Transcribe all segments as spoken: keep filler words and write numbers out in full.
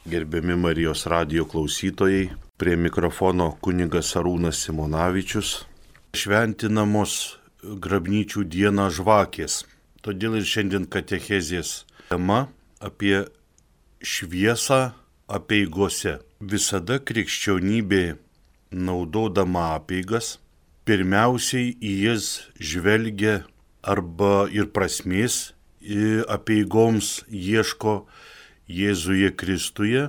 Gerbiami Marijos radijo klausytojai, prie mikrofono kunigas Arūnas Simonavičius. Šventinamos grabnyčių dieną žvakės. Todėl ir šiandien katechezės tema apie šviesą apeigose. Visada krikščionybė, naudodama apeigas, pirmiausiai į jas žvelgia arba ir prasmės apeigoms ieško Jėzuje Kristuje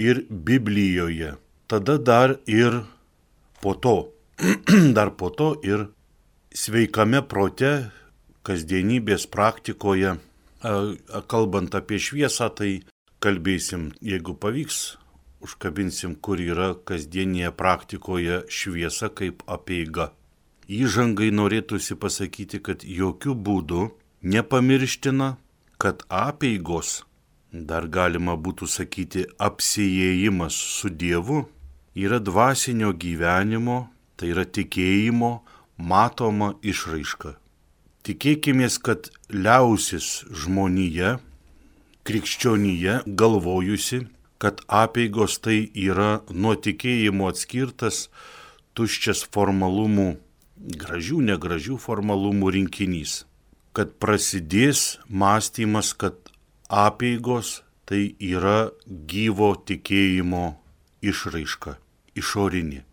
ir Biblijoje. Tada dar ir po to, dar po to ir sveikame prote, kasdienybės praktikoje, kalbant apie šviesą, tai kalbėsim, jeigu pavyks, užkabinsim, kur yra kasdienėje praktikoje šviesa kaip apeiga. Įžangai norėtųsi pasakyti, kad jokių būdų nepamirština, kad apeigos, dar galima būtų sakyti apsiėjimas su Dievu, yra dvasinio gyvenimo, tai yra tikėjimo matoma išraiška. Tikėkimės, kad liausis žmonija, krikščionija galvojusi, kad apeigos tai yra nuo tikėjimo atskirtas tuščias formalumų, gražių, negražių formalumų rinkinys. Kad prasidės mąstymas, kad apeigos tai yra gyvo tikėjimo išraiška, išorinė.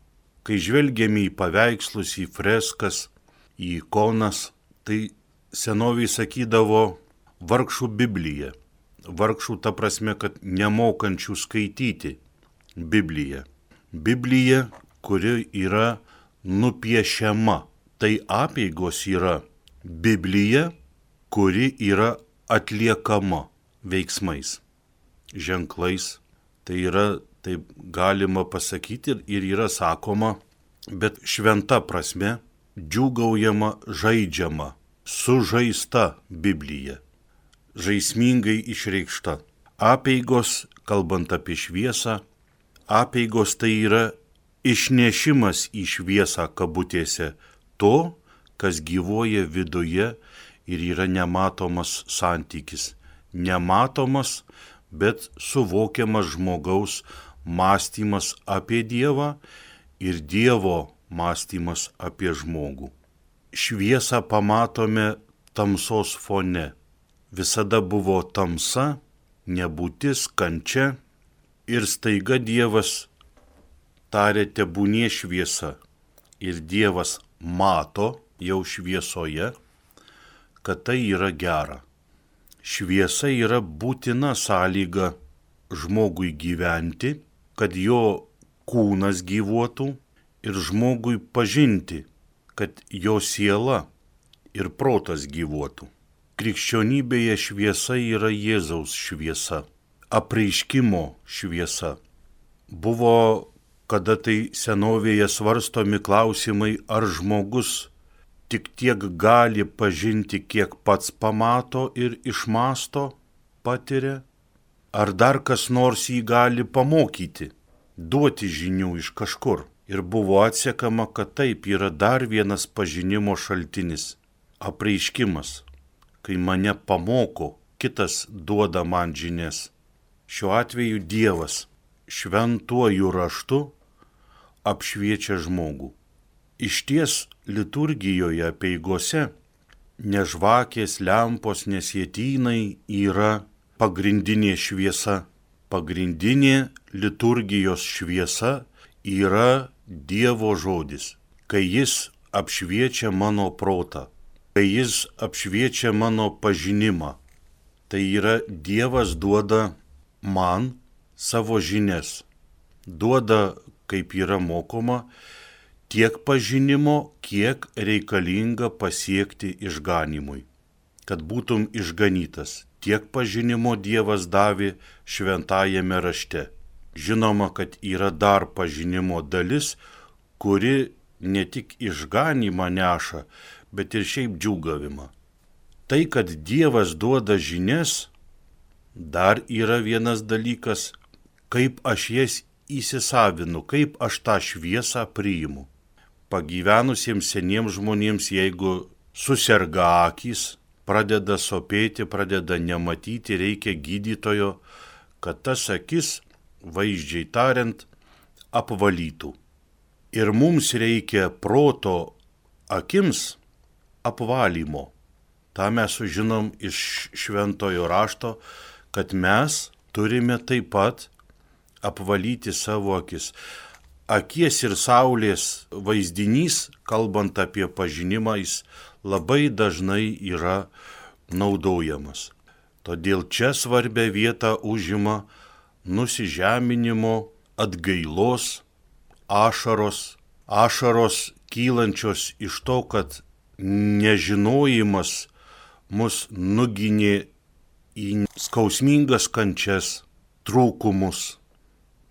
Kai žvelgiame į paveikslus, į freskas, į ikonas, tai senoviai sakydavo vargšų Biblija. Vargšų ta prasme, kad nemokančių skaityti Bibliją. Biblija, kuri yra nupiešiama. Tai apeigos yra Biblija, kuri yra atliekama veiksmais, ženklais. Tai yra, taip galima pasakyti ir yra sakoma, bet šventa prasme, džiūgaujama, žaidžiama, sužaista Biblija, žaismingai išreikšta. Apeigos, kalbant apie šviesą, apeigos tai yra išnešimas į šviesą kabutėse to, kas gyvuoja viduje ir yra nematomas santykis. Nematomas, bet suvokiamas žmogaus mąstymas apie Dievą ir Dievo mąstymas apie žmogų. Šviesą pamatome tamsos fone. Visada buvo tamsa, nebūtis, kančia ir staiga Dievas tarė tebūnie šviesa. Ir Dievas mato jau šviesoje, kad tai yra gera. Šviesa yra būtina sąlyga žmogui gyventi, kad jo kūnas gyvuotų ir žmogui pažinti, kad jo siela ir protas gyvuotų. Krikščionybėje šviesa yra Jėzaus šviesa, apreiškimo šviesa. Buvo kada tai senovėje svarstomi klausimai, ar žmogus tik tiek gali pažinti, kiek pats pamato ir išmasto, patiria, ar dar kas nors jį gali pamokyti, duoti žinių iš kažkur. Ir buvo atsekama, kad taip yra dar vienas pažinimo šaltinis, apreiškimas, kai mane pamoko, kitas duoda man žinias. Šiuo atveju Dievas šventuoju raštu apšviečia žmogų. Išties liturgijoje apeigose ne žvakės, lempos, ne sietynai yra pagrindinė šviesa. Pagrindinė liturgijos šviesa yra Dievo žodis, kai jis apšviečia mano protą, kai jis apšviečia mano pažinimą. Tai yra Dievas duoda man savo žinias, duoda, kaip yra mokoma, tiek pažinimo, kiek reikalinga pasiekti išganimui. Kad būtum išganytas, tiek pažinimo Dievas davė šventajame rašte. Žinoma, kad yra dar pažinimo dalis, kuri ne tik išganimą neša, bet ir šiaip džiūgavimą. Tai, kad Dievas duoda žinias, dar yra vienas dalykas, kaip aš jas įsisavinu, kaip aš tą šviesą priimu. Pagyvenusiems seniems žmonėms, jeigu suserga akys, pradeda sopėti, pradeda nematyti, reikia gydytojo, kad tas akis, vaizdžiai tariant, apvalytų. Ir mums reikia proto akims apvalymo. Ta mes sužinom iš šventojo rašto, kad mes turime taip pat apvalyti savo akis. Akies ir saulės vaizdinys, kalbant apie pažinimą, jis labai dažnai yra naudojamas. Todėl čia svarbia vieta užima nusižeminimo, atgailos, ašaros, ašaros kylančios iš to, kad nežinojimas mus nuginė į skausmingas kančias, trūkumus,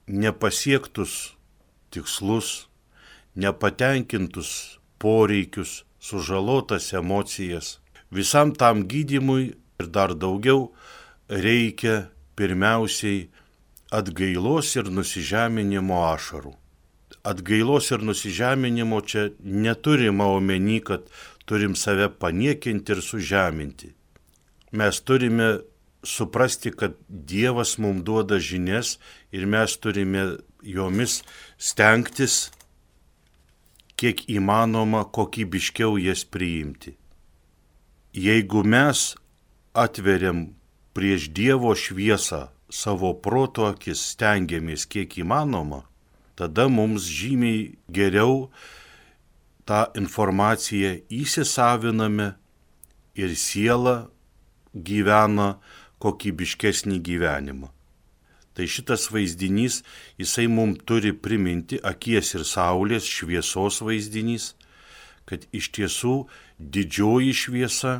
nepasiektus tikslus, nepatenkintus poreikius, sužalotas emocijas. Visam tam gydymui ir dar daugiau reikia pirmiausiai atgailos ir nusižeminimo ašarų. Atgailos ir nusižeminimo čia neturima omeny, kad turim save paniekinti ir sužeminti. Mes turime suprasti, kad Dievas mums duoda žinias ir mes turime jomis stengtis, kiek įmanoma, kokybiškiau jas priimti. Jeigu mes atveriam prieš Dievo šviesą savo proto akis, stengiamės kiek įmanoma, tada mums žymiai geriau tą informaciją įsisaviname ir siela gyvena kokybiškesnį gyvenimą. Tai šitas vaizdinys, jisai mums turi priminti, akies ir saulės šviesos vaizdinys, kad iš tiesų didžioji šviesa,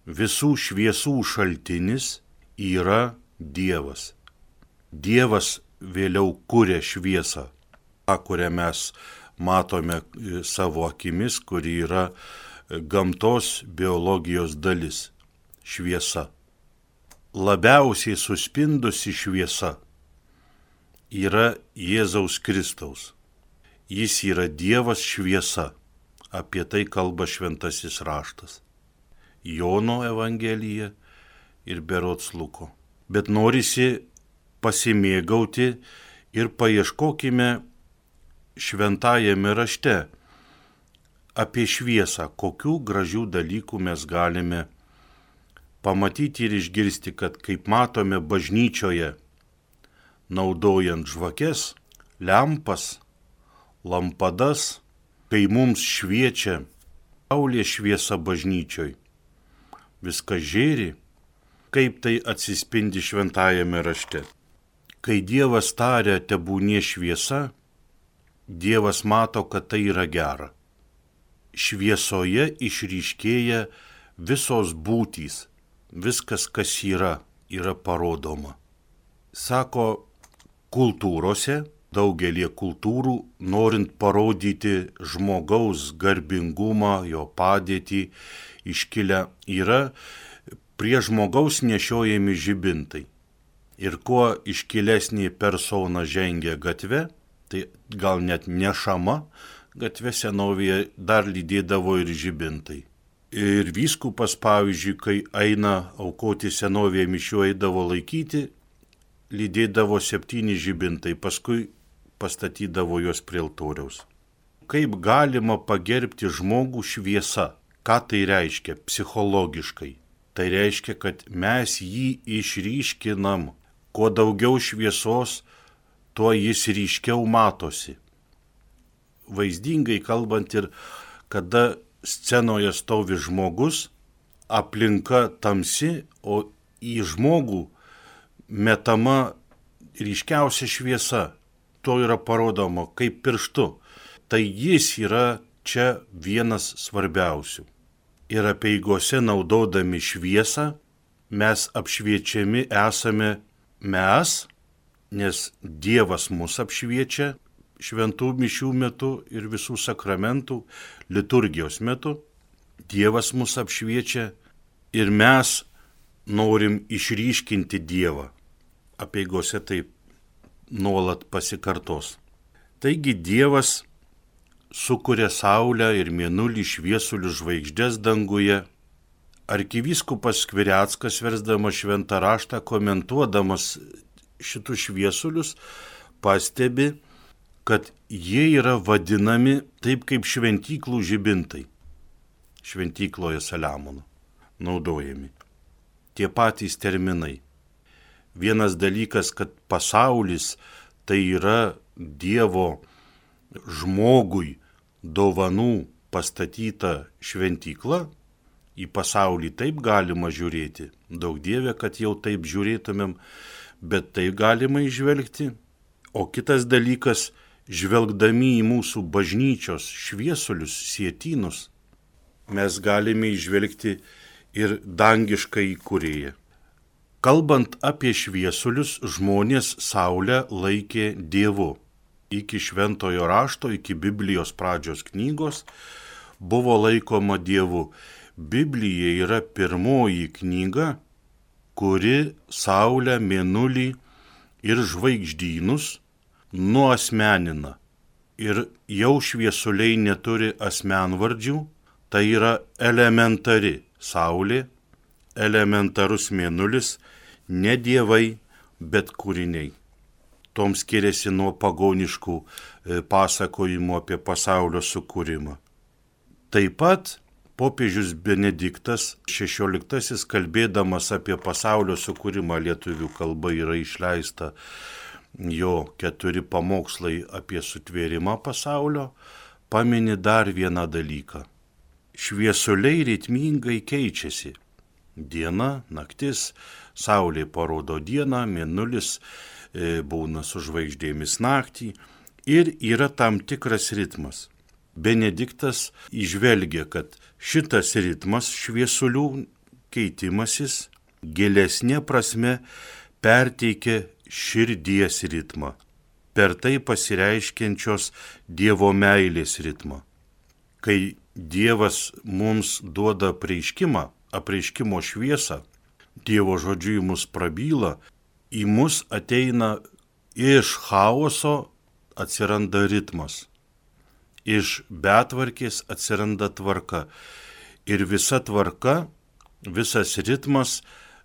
visų šviesų šaltinis yra Dievas. Dievas vėliau kuria šviesą, tą, kurią mes matome savo akimis, kuri yra gamtos biologijos dalis - šviesa. Labiausiai suspindusi šviesa yra Jėzaus Kristaus. Jis yra Dievas šviesa. Apie tai kalba šventasis raštas. Jono Evangelija ir berods Luko. Bet norisi pasimėgauti ir paieškokime šventajame rašte apie šviesą, kokių gražių dalykų mes galime pamatyti ir išgirsti, kad kaip matome bažnyčioje, naudojant žvakes, lempas, lampadas, kai mums šviečia saulės šviesa bažnyčioj, viskas žėri, kaip tai atsispindi šventajame rašte. Kai Dievas taria tebūnie šviesa, Dievas mato, kad tai yra gera. Šviesoje išryškėja visos būtys, viskas, kas yra, yra parodoma. Sako, kultūrose, daugelie kultūrų, norint parodyti žmogaus garbingumą, jo padėtį, iškilę yra prie žmogaus nešiojami žibintai. Ir kuo iškilesnė persona žengia gatve, tai gal net nešama, gatve senovėje dar lydėdavo ir žibintai. Ir vyskupas, pavyzdžiui, kai eina aukoti senovėje mišių, eidavo laikyti, lydėdavo septyni žibintai, paskui pastatydavo juos prie altoriaus. Kaip galima pagerbti žmogų šviesa? Ką tai reiškia psichologiškai? Tai reiškia, kad mes jį išryškinam. Kuo daugiau šviesos, tuo jis ryškiau matosi. Vaizdingai kalbant ir kada scenoje stovi žmogus, aplinka tamsi, o į žmogų metama ryškiausia šviesa. To yra parodoma kaip pirštu. Tai jis yra čia vienas svarbiausių. Ir apeigose naudodami šviesą mes apšviečiami esame mes, nes Dievas mus apšviečia šventų mišių metu ir visų sakramentų liturgijos metu. Dievas mus apšviečia ir mes norim išryškinti Dievą. Apeigose taip nuolat pasikartos. Taigi Dievas sukuria saulę ir mėnulį, šviesulius, žvaigždės danguje. Arkivyskupas Skvireckas, versdamas šventą raštą, komentuodamas šitus šviesulius, pastebi, kad jie yra vadinami taip kaip šventyklų žibintai. Šventykloje Saliamono naudojami. Tie patys terminai. Vienas dalykas, kad pasaulis tai yra Dievo žmogui dovanų pastatyta šventykla. Į pasaulį taip galima žiūrėti. Daug Dieve, kad jau taip žiūrėtumėm, bet tai galima įžvelgti. O kitas dalykas, žvelgdami į mūsų bažnyčios šviesulius, sietynus, mes galime įžvelgti ir dangišką įkūrėją. Kalbant apie šviesulius, žmonės Saulę laikė Dievu. Iki šventojo rašto, iki Biblijos pradžios knygos buvo laikoma Dievu. Biblija yra pirmoji knyga, kuri Saulę, Mėnulį ir žvaigždynus nuasmenina. Ir jau šviesuliai neturi asmenvardžių, tai yra elementari Saulė, elementarus Mėnulis, ne dievai, bet kūriniai. Tom skiriasi nuo pagoniškų pasakojimų apie pasaulio sukūrimą. Taip pat popiežius Benediktas šešioliktasis, kalbėdamas apie pasaulio sukūrimą lietuvių kalba, yra išleista jo keturi pamokslai apie sutvėrimą pasaulio, pamini dar vieną dalyką. Šviesuliai ritmingai keičiasi. Diena, naktis, Saulė parodo dieną, Mėnulis e, būna su žvaigždėmis naktį ir yra tam tikras ritmas. Benediktas įžvelgia, kad šitas ritmas šviesulių keitimasis gilesnė prasme perteikia širdies ritmą, per tai pasireiškiančios Dievo meilės ritmą. Kai Dievas mums duoda apreiškimą, apreiškimo šviesą, Dievo žodžiu į mus prabyla, į mus ateina iš chaoso atsiranda ritmas. Iš betvarkės atsiranda tvarka. Ir visa tvarka, visas ritmas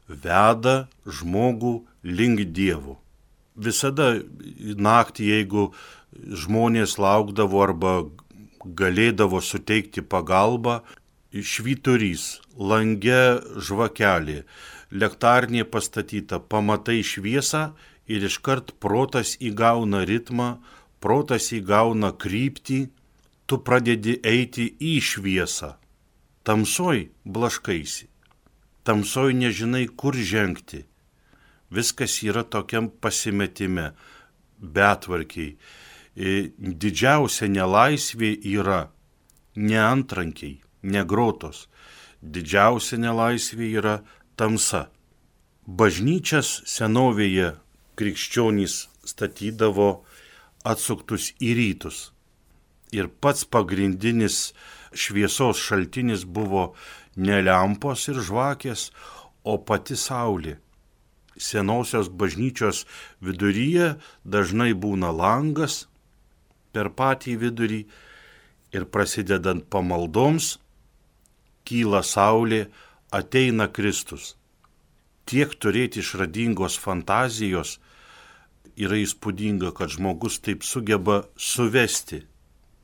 veda žmogų link Dievo. Visada naktį, jeigu žmonės laukdavo arba galėdavo suteikti pagalbą, švyturys, lange žvakelė, lektarnė pastatyta, pamatai šviesą ir iškart protas įgauna ritmą, protas įgauna kryptį, tu pradedi eiti į šviesą. Tamsoj blaškaisi, tamsoj nežinai, kur žengti. Viskas yra tokiam pasimetime, betvarkiai. Didžiausia nelaisvė yra ne antrankiai, ne grotos. Didžiausia nelaisvė yra tamsa. Bažnyčias senovėje krikščionys statydavo atsuktus į rytus. Ir pats pagrindinis šviesos šaltinis buvo ne lempos ir žvakės, o pati Saulė. Senosios bažnyčios viduryje dažnai būna langas per patį vidurį ir prasidedant pamaldoms kyla Saulė, ateina Kristus. Tiek turėti išradingos fantazijos yra įspūdinga, kad žmogus taip sugeba suvesti,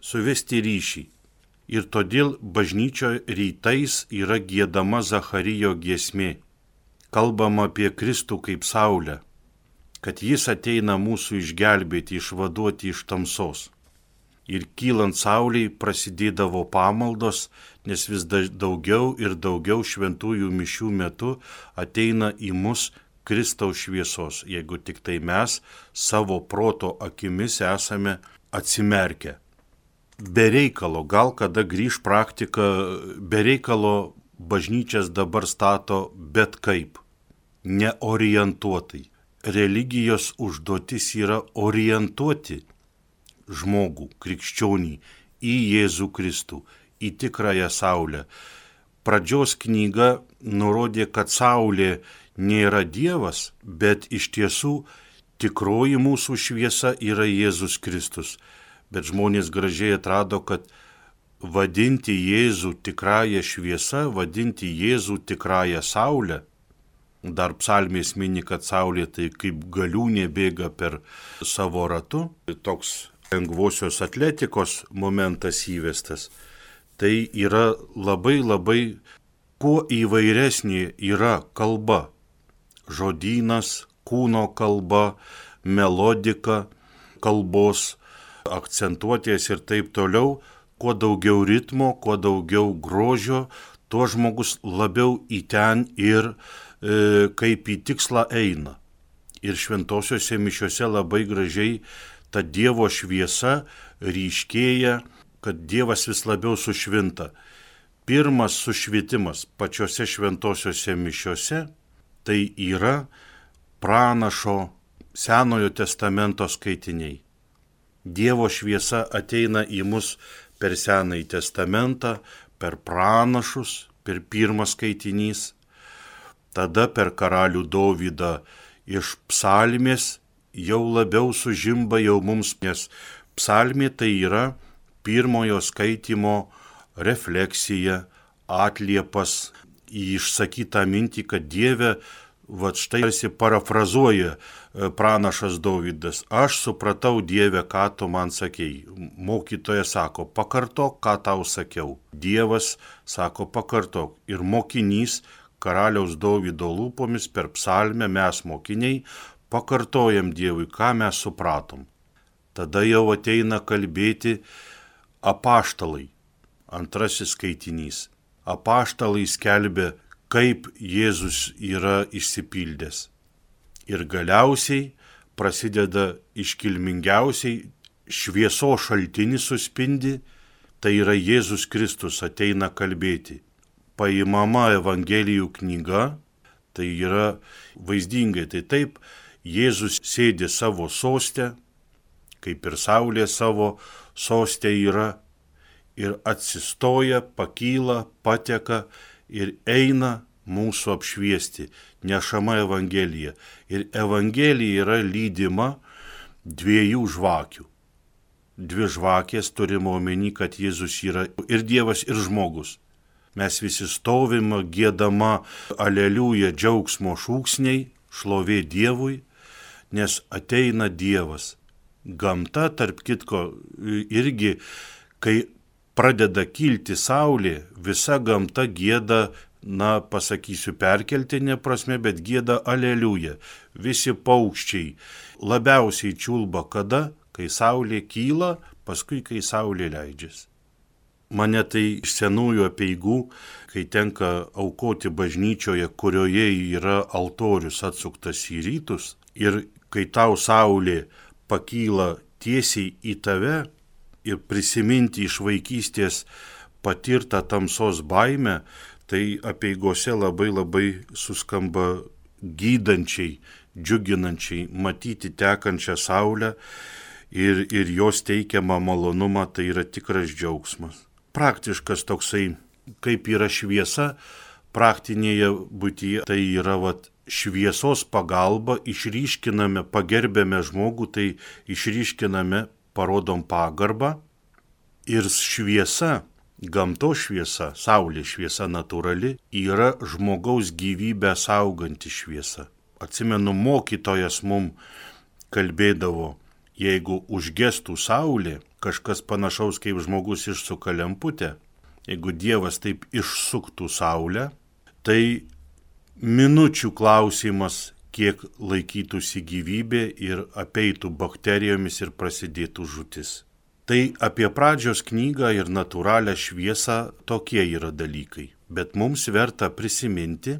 suvesti ryšį. Ir todėl bažnyčioje rytais yra giedama Zacharijo giesmė. Kalbama apie Kristų kaip Saulę, kad jis ateina mūsų išgelbėti, išvaduoti iš tamsos. Ir kylant Saulei prasidėdavo pamaldos, nes vis daugiau ir daugiau šventųjų mišių metu ateina į mus Kristaus šviesos, jeigu tik tai mes savo proto akimis esame atsimerkę. Be reikalo, gal kada grįž praktika, be reikalo bažnyčias dabar stato bet kaip, neorientuotai. Religijos užduotis yra orientuoti žmogų, krikščionį, į Jėzų Kristų, į tikrąją Saulę. Pradžios knyga nurodė, kad Saulė nėra Dievas, bet iš tiesų tikroji mūsų šviesa yra Jėzus Kristus. Bet žmonės gražiai atrado, kad vadinti Jėzų tikrąją šviesą, vadinti Jėzų tikrąją Saulę, Dar psalmės mini, kad saulė tai kaip galiūnė bėga per savo ratu. Toks lengvosios atletikos momentas įvestas. Tai yra labai labai, kuo įvairesnė yra kalba. Žodynas, kūno kalba, melodika, kalbos, akcentuotės ir taip toliau. Kuo daugiau ritmo, kuo daugiau grožio, tuo žmogus labiau į ten ir e, kaip į tikslą eina. Ir šventosiuose mišiuose labai gražiai ta Dievo šviesa ryškėja, kad Dievas vis labiau sušvinta. Pirmas sušvitimas pačiose šventosiuose mišiuose tai yra pranašo Senojo testamento skaitiniai. Dievo šviesa ateina į mus per Senąjį testamentą, per pranašus, per pirmas skaitinys, tada per karalių Dovydą iš psalmės jau labiau sužimba jau mums, nes psalmė tai yra pirmojo skaitimo refleksija, atliepas į išsakytą mintį, kad Dieve, va štai tarsi parafrazuoja pranašas Dovydas, aš supratau Dieve, ką tu man sakei. Mokytojas sako, pakartok, ką tau sakiau. Dievas sako, pakartok. Ir mokinys karaliaus Dovydo lūpomis per psalmę mes mokiniai pakartojam Dievui, ką mes supratom. Tada jau ateina kalbėti apaštalai. Antrasis skaitinys. Apaštalai skelbia, kaip Jėzus yra išsipildęs. Ir galiausiai prasideda iškilmingiausiai šviesos šaltinis suspindi, tai yra Jėzus Kristus ateina kalbėti. Paimama Evangelijų knyga, tai yra vaizdingai, tai taip, Jėzus sėdi savo soste, kaip ir saulė savo soste yra, ir atsistoja, pakyla, pateka ir eina mūsų apšviesti, nešama Evangelija. Ir Evangelija yra lydima dviejų žvakių. Dvi žvakės turime omeny, kad Jėzus yra ir Dievas, ir žmogus. Mes visi stovime, giedama aleliuja džiaugsmo šūksniai, šlovė Dievui, nes ateina Dievas. Gamta, tarp kitko, irgi, kai pradeda kilti saulė, visa gamta gieda, na, pasakysiu perkeltinė prasme, bet gieda aleliuja. Visi paukščiai labiausiai čiulba kada, kai saulė kyla, paskui kai saulė leidžiasi. Mane tai iš senųjų apeigų, kai tenka aukoti bažnyčioje, kurioje yra altorius atsuktas į rytus, ir kai tau saulė pakyla tiesiai į tave ir prisiminti iš vaikystės patirtą tamsos baimę, tai apeigose labai labai suskamba gydančiai, džiuginančiai matyti tekančią saulę ir, ir jos teikiamą malonumą, tai yra tikras džiaugsmas. Praktiškas toksai, kaip yra šviesa, praktinėje būtyje, tai yra vat, šviesos pagalba, išryškiname, pagerbėme žmogų, tai išryškiname, parodom pagarbą ir šviesa, gamtos šviesa, saulės šviesa natūrali, yra žmogaus gyvybę sauganti šviesa. Atsimenu, mokytojas mum kalbėdavo, jeigu užgestų saulė, kažkas panašaus kaip žmogus išsuka lemputę, jeigu Dievas taip išsuktų saulę, tai minučių klausimas, kiek laikytųsi gyvybė ir apeitų bakterijomis ir prasidėtų žūtis. Tai apie pradžios knygą ir natūralią šviesą tokie yra dalykai. Bet mums verta prisiminti,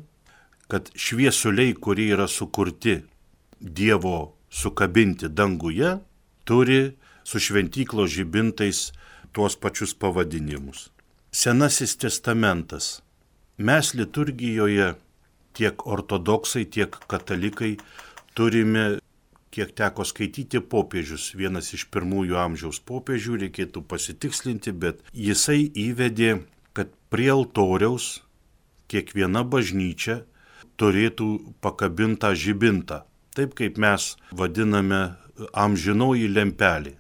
kad šviesuliai, kurie yra sukurti Dievo sukabinti danguje, turi su šventyklos žibintais tuos pačius pavadinimus. Senasis testamentas. Mes liturgijoje tiek ortodoksai, tiek katalikai turime, kiek teko skaityti, popiežius. Vienas iš pirmųjų amžiaus popiežių, reikėtų pasitikslinti, bet jisai įvedė, kad prie altoriaus kiekviena bažnyčia turėtų pakabintą žibintą. Taip kaip mes vadiname amžinoji lempelė.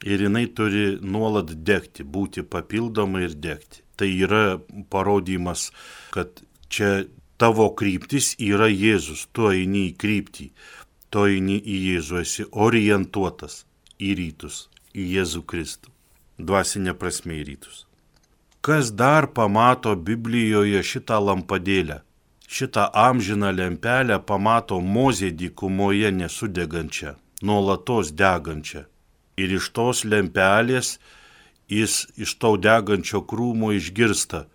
Ir jinai turi nuolat degti, būti papildoma ir degti. Tai yra parodymas, kad čia Tavo kryptis yra Jėzus, tu eini į kryptį, tu eini į Jėzų, esi orientuotas į rytus, į Jėzų Kristų. Dvasinė prasme į rytus. Kas dar pamato Biblijoje šitą lampadėlę? Šitą amžiną lempelę pamato Mozė dykumoje nesudegančią, nuolatos degančią. Ir iš tos lempelės jis iš to degančio krūmo išgirsta: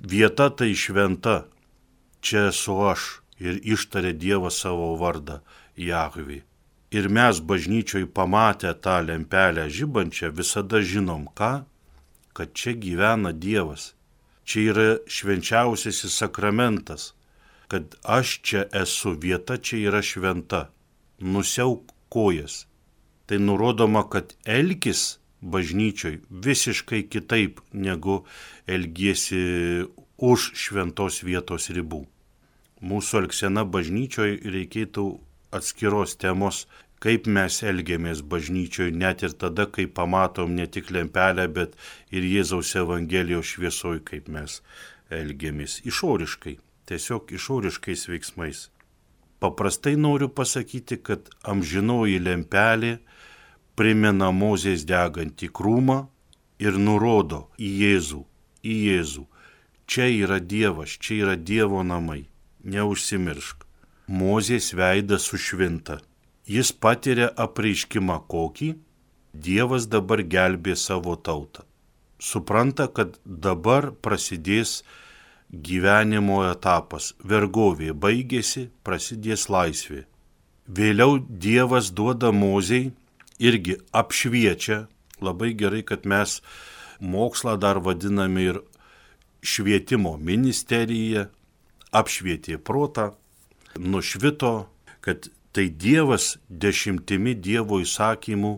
vieta tai šventa, čia esu aš, ir ištarė Dievas savo vardą Jahvė. Ir mes bažnyčioj pamatę tą lempelę žibančią visada žinom ką? Kad čia gyvena Dievas. Čia yra švenčiausiasis sakramentas, kad aš čia esu, vieta čia yra šventa. Nusiauk kojas. Tai nurodoma, kad elkis bažnyčioj visiškai kitaip, negu elgiesi už šventos vietos ribų. Mūsų elgsena bažnyčioj reikėtų atskiros temos, kaip mes elgiamės bažnyčioj, net ir tada, kai pamatom ne tik lempelę, bet ir Jėzaus Evangelijos šviesoj, kaip mes elgiamės išoriškai, tiesiog išoriškais veiksmais. Paprastai noriu pasakyti, kad amžinoji lempelė primena Mozės degantį krūmą ir nurodo į Jėzų, į Jėzų. Čia yra Dievas, čia yra Dievo namai, neužsimiršk. Mozės veidas sušvinta. Jis patiria apreiškimą kokį? Dievas dabar gelbė savo tautą. Supranta, kad dabar prasidės gyvenimo etapas. Vergovė baigėsi, prasidės laisvė. Vėliau Dievas duoda Mozei, irgi apšviečia. Labai gerai, kad mes mokslą dar vadiname ir švietimo ministerija. Apšvietė protą, nušvito, kad tai Dievas dešimtimi Dievo įsakymų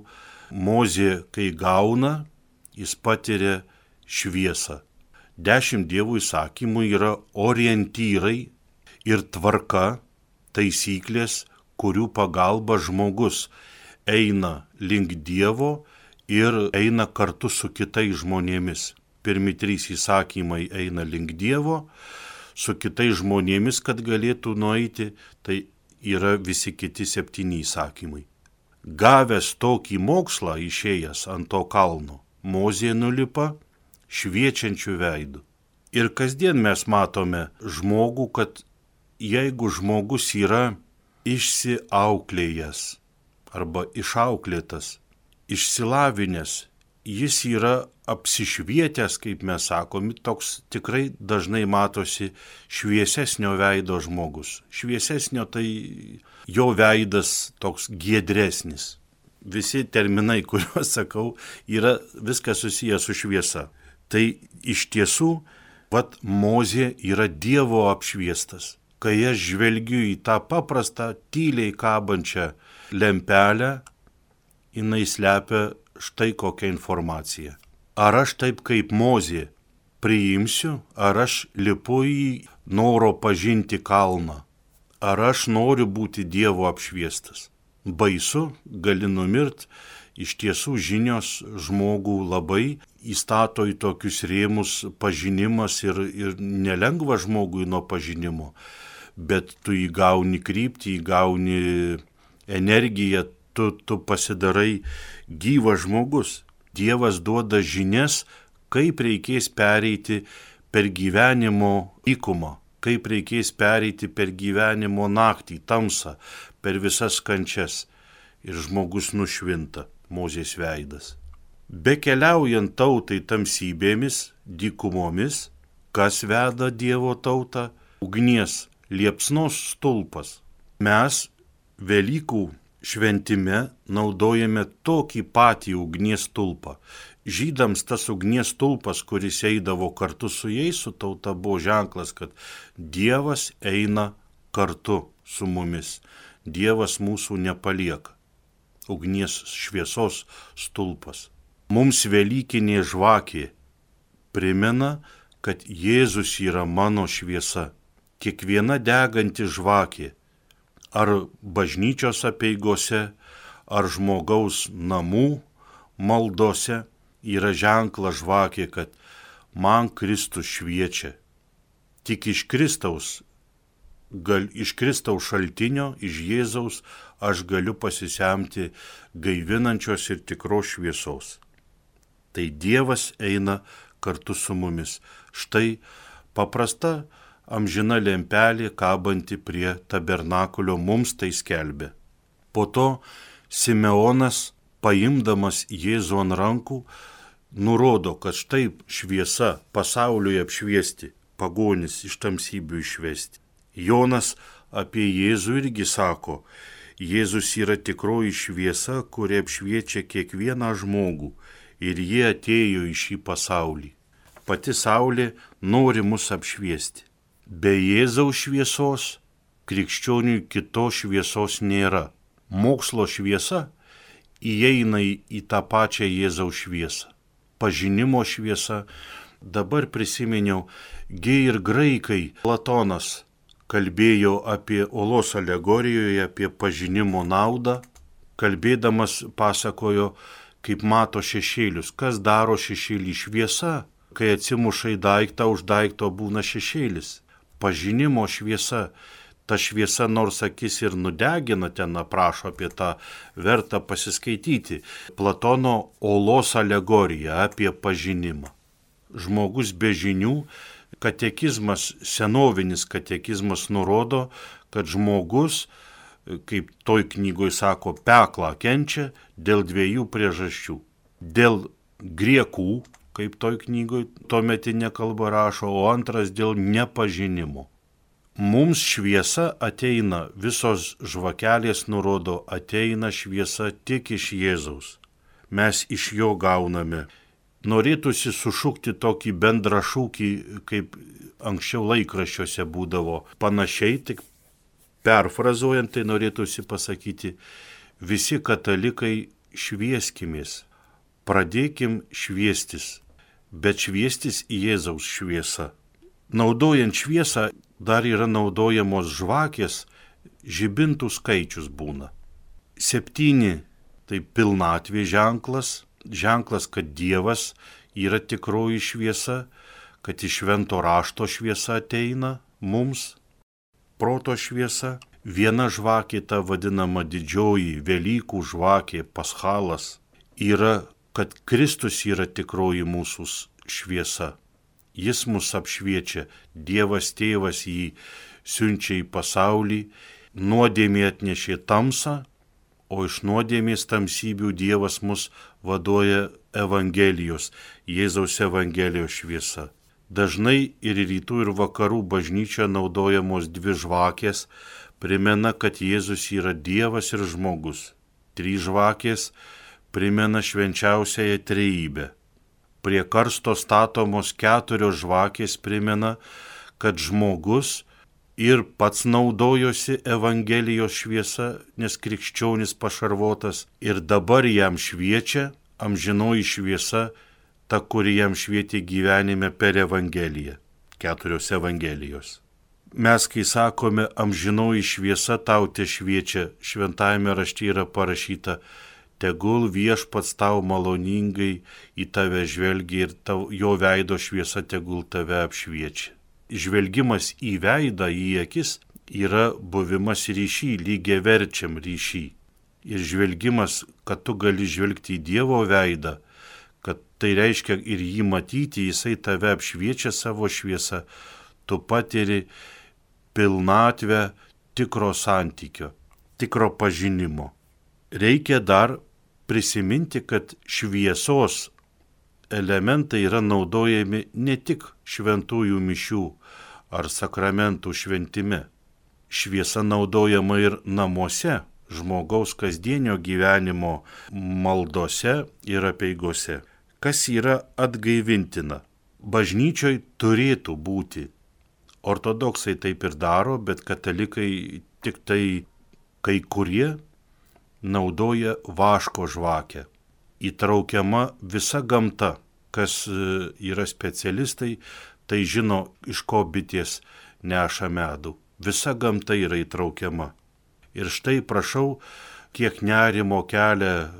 Mozė, kai gauna, jis patiria šviesą. Dešimt Dievo įsakymų yra orientyrai ir tvarka, taisyklės, kurių pagalba žmogus eina link Dievo ir eina kartu su kitais žmonėmis. Pirmi trys įsakymai eina link Dievo, su kitais žmonėmis, kad galėtų nueiti, tai yra visi kiti septyni įsakymai. Gavęs tokį mokslą išėjęs ant to kalno, Mozė nulipa šviečiančių veidų. Ir kasdien mes matome žmogų, kad jeigu žmogus yra išsiauklėjęs arba išauklėtas, išsilavinęs, jis yra apsišvietęs, kaip mes sakom, toks tikrai dažnai matosi šviesesnio veido žmogus. Šviesesnio tai jo veidas toks giedresnis. Visi terminai, kuriuos sakau, yra viskas susijęs su šviesa. Tai iš tiesų, vat Mozė yra Dievo apšviestas. Kai aš žvelgiu į tą paprastą, tyliai kabančią lempelę, jinai slepia štai kokią informaciją. Ar aš taip kaip Mozė priimsiu, ar aš lipu į noro pažinti kalną, ar aš noriu būti Dievo apšviestas. Baisu, gali numirt, iš tiesų žinios žmogų labai įstato į tokius rėmus pažinimas ir, ir nelengva žmogui nuo pažinimo, bet tu įgauni kryptį, įgauni energiją, tu, tu pasidarai gyvas žmogus. Dievas duoda žinias, kaip reikės pereiti per gyvenimo dykumą, kaip reikės pereiti per gyvenimo naktį, tamsą, per visas kančias. Ir žmogus nušvinta, Mozės veidas. Bekeliaujant tautai tamsybėmis, dykumomis, kas veda Dievo tautą? Ugnies liepsnos stulpas. Mes Velykų šventime naudojame tokį patį ugnies stulpą. Žydams tas ugnies stulpas, kuris eidavo kartu su jais, su tauta, buvo ženklas, kad Dievas eina kartu su mumis. Dievas mūsų nepalieka. Ugnies šviesos stulpas. Mums velykinė žvakė primena, kad Jėzus yra mano šviesa. Kiekviena deganti žvakė, ar bažnyčios apeigose, ar žmogaus namų maldose, yra ženklas žvakė, kad man Kristus šviečia. Tik iš Kristaus gal iš Kristaus šaltinio, iš Jėzaus, aš galiu pasisemti gaivinančios ir tikros šviesos. Tai Dievas eina kartu su mumis. Štai paprasta amžina lempelė kabanti prie tabernakulio mums tai skelbia. Po to Simeonas, paimdamas Jėzų ant rankų, nurodo, kad štai šviesa pasauliui apšviesti, pagonis iš tamsybių išvesti. Jonas apie Jėzų irgi sako, Jėzus yra tikroji šviesa, kuri apšviečia kiekvieną žmogų ir jie atėjo į šį pasaulį. Pati saulė nori mus apšviesti. Be Jėzaus šviesos krikščioniui kitos šviesos nėra. Mokslo šviesa įeina į tą pačią Jėzaus šviesą. Pažinimo šviesa. Dabar prisiminiau, gi ir graikai Platonas kalbėjo apie olos alegorijoje, apie pažinimo naudą. Kalbėdamas pasakojo, kaip mato šešėlius. Kas daro šešėlį? Šviesa. Kai atsimuša į daiktą, už daikto būna šešėlis. Pažinimo šviesa. Ta šviesa nors akis ir nudegina, ten aprašo apie tą, verta pasiskaityti. Platono olos alegorija apie pažinimą. Žmogus be žinių, katekizmas, senovinis katekizmas nurodo, kad žmogus, kaip toj knygoj sako, peklą kenčia dėl dviejų priežasčių. Dėl griekų, kaip toj knygoj tuometinė kalba rašo, o antras dėl nepažinimo. Mums šviesa ateina, visos žvakelės nurodo, ateina šviesa tik iš Jėzaus. Mes iš jo gauname. Norėtųsi sušukti tokį bendrą šūkį, kaip anksčiau laikraščiuose būdavo. Panašiai, tik perfrazuojant, tai norėtųsi pasakyti, visi katalikai švieskimės. Pradėkim šviestis, bet šviestis į Jėzaus šviesą. Naudojant šviesą dar yra naudojamos žvakės, žibintų skaičius būna. Septyni tai pilnatvė ženklas, ženklas, kad Dievas yra tikroji šviesa, kad iš švento rašto šviesa ateina mums, proto šviesa. Viena žvakė, ta vadinama didžioji Velykų žvakė, paschalas, yra, kad Kristus yra tikroji mūsų šviesa. Jis mus apšviečia, Dievas tėvas jį siunčia į pasaulį, nuodėmė atnešė tamsą, o iš nuodėmės tamsybių Dievas mus vaduoja Evangelijos, Jėzaus Evangelijos šviesa. Dažnai ir rytų ir vakarų bažnyčia naudojamos dvi žvakės, primena, kad Jėzus yra Dievas ir žmogus. Trys žvakės primena švenčiausiąją trejybę. Prie karsto statomos keturios žvakės primena, kad žmogus ir pats naudojosi Evangelijos šviesa, nes krikščionis pašarvotas, ir dabar jam šviečia amžinoji šviesa, ta, kuri jam švietė gyvenime per Evangeliją. Keturios Evangelijos. Mes, kai sakome, amžinoji šviesa tau te šviečia, šventajame rašte yra parašyta, tegul Viešpats tau maloningai į tave žvelgia ir tau, jo veido šviesa tegul tave apšviečia. Žvelgimas į veidą, į akis yra buvimas ryšy, lygiaverčiam ryšy. Ir žvelgimas, kad tu gali žvelgti į Dievo veidą, kad tai reiškia ir jį matyti, jisai tave apšviečia savo šviesą, tu patiri pilnatvę tikro santykio, tikro pažinimo. Reikia dar prisiminti, kad šviesos elementai yra naudojami ne tik šventųjų mišių ar sakramentų šventime. Šviesa naudojama ir namuose, žmogaus kasdienio gyvenimo maldose ir apeigose. Kas yra atgaivintina? Bažnyčioj turėtų būti. Ortodoksai taip ir daro, bet katalikai tik tai kai kurie naudoja vaško žvakę. Įtraukiama visa gamta. Kas yra specialistai, tai žino, iš ko bitės neša medų. Visa gamta yra įtraukiama. Ir štai prašau, kiek nerimo kelia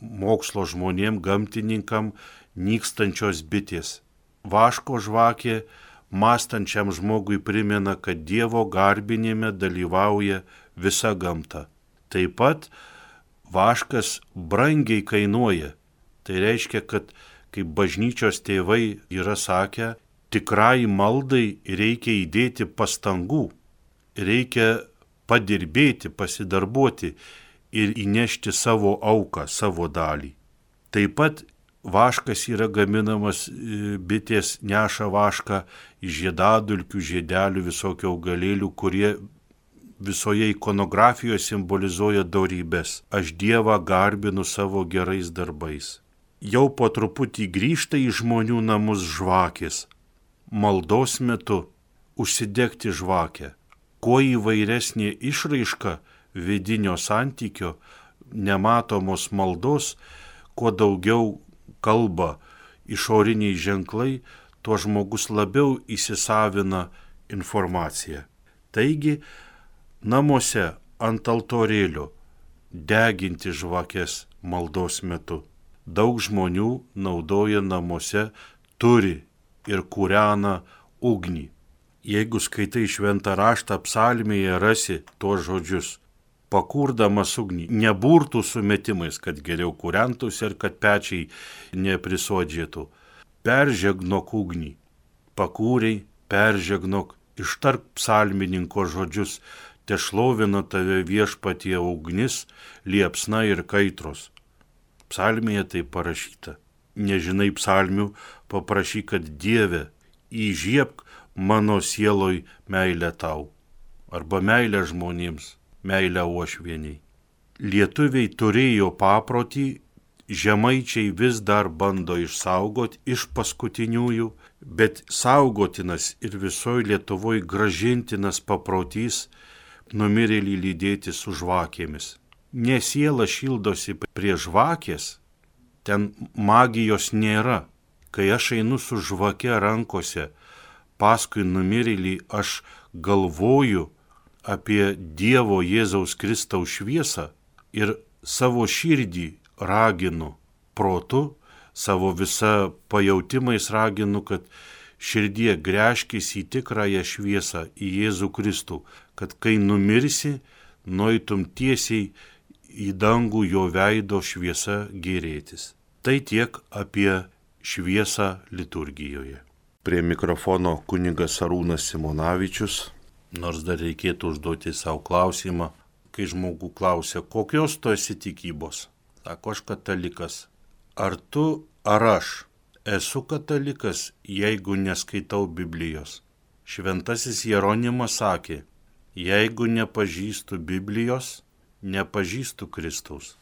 mokslo žmonėm, gamtininkam, nykstančios bitės. Vaško žvakė mąstančiam žmogui primena, kad Dievo garbinime dalyvauja visa gamta. Taip pat vaškas brangiai kainuoja. Tai reiškia, kad kaip bažnyčios tėvai yra sakę, tikrai maldai reikia įdėti pastangų, reikia padirbėti, pasidarbuoti ir įnešti savo auką, savo dalį. Taip pat vaškas yra gaminamas, bitės neša vašką iš žiedadulkių, žiedelių, visokių augalėlių, kurie visoje ikonografijoje simbolizuoja dorybės. Aš Dievą garbinu savo gerais darbais. Jau po truputį grįžta į žmonių namus žvakės. Maldos metu užsidegti žvakę. Kuo įvairesnė išraiška vidinio santykio, nematomos maldos, kuo daugiau kalba išoriniai ženklai, tuo žmogus labiau įsisavina informaciją. Taigi, namuose ant altorėlio deginti žvakės maldos metu. Daug žmonių naudoja namuose, turi ir kūrena ugnį. Jeigu skaitai šventą raštą, psalmėje rasi tuos žodžius. Pakurdamas ugnį, neburtų sumetimais, kad geriau kūrentųsi ir kad pečiai neprisodžėtų. Peržegnok ugnį. Pakūrei, peržegnok, ištark psalmininko žodžius. Te šlovina tave viešpatie ugnis, liepsna ir kaitros. Psalmėje tai parašyta. Nežinai psalmių, paprašyk, kad Dieve įžiebk mano sieloj meilę tau. Arba meilę žmonėms, meilę uošvieniai. Lietuviai turėjo paprotį, žemaičiai vis dar bando išsaugoti iš paskutiniųjų, bet saugotinas ir visoje Lietuvoje gražintinas paprotys numirėlį lydėti su žvakėmis. Ne siela šildosi prie žvakės, ten magijos nėra. Kai aš einu su žvake rankose, paskui numirėlį aš galvoju apie Dievo Jėzaus Kristaus šviesą ir savo širdį raginu protu, savo visą pajautimais raginu, kad širdie gręžkis į tikrąją šviesą, į Jėzų Kristų, kad kai numirsi, nueitum tiesiai į dangų jo veido šviesa gėrėtis. Tai tiek apie šviesą liturgijoje. Prie mikrofono kunigas Arūnas Simonavičius. Nors dar reikėtų užduoti savo klausimą, kai žmogų klausia, kokios tu esi tikybos? Sako, aš katalikas. Ar tu, ar aš esu katalikas, jeigu neskaitau Biblijos? Šventasis Jeronimas sakė, jeigu nepažįstu Biblijos, nepažįstu Kristaus.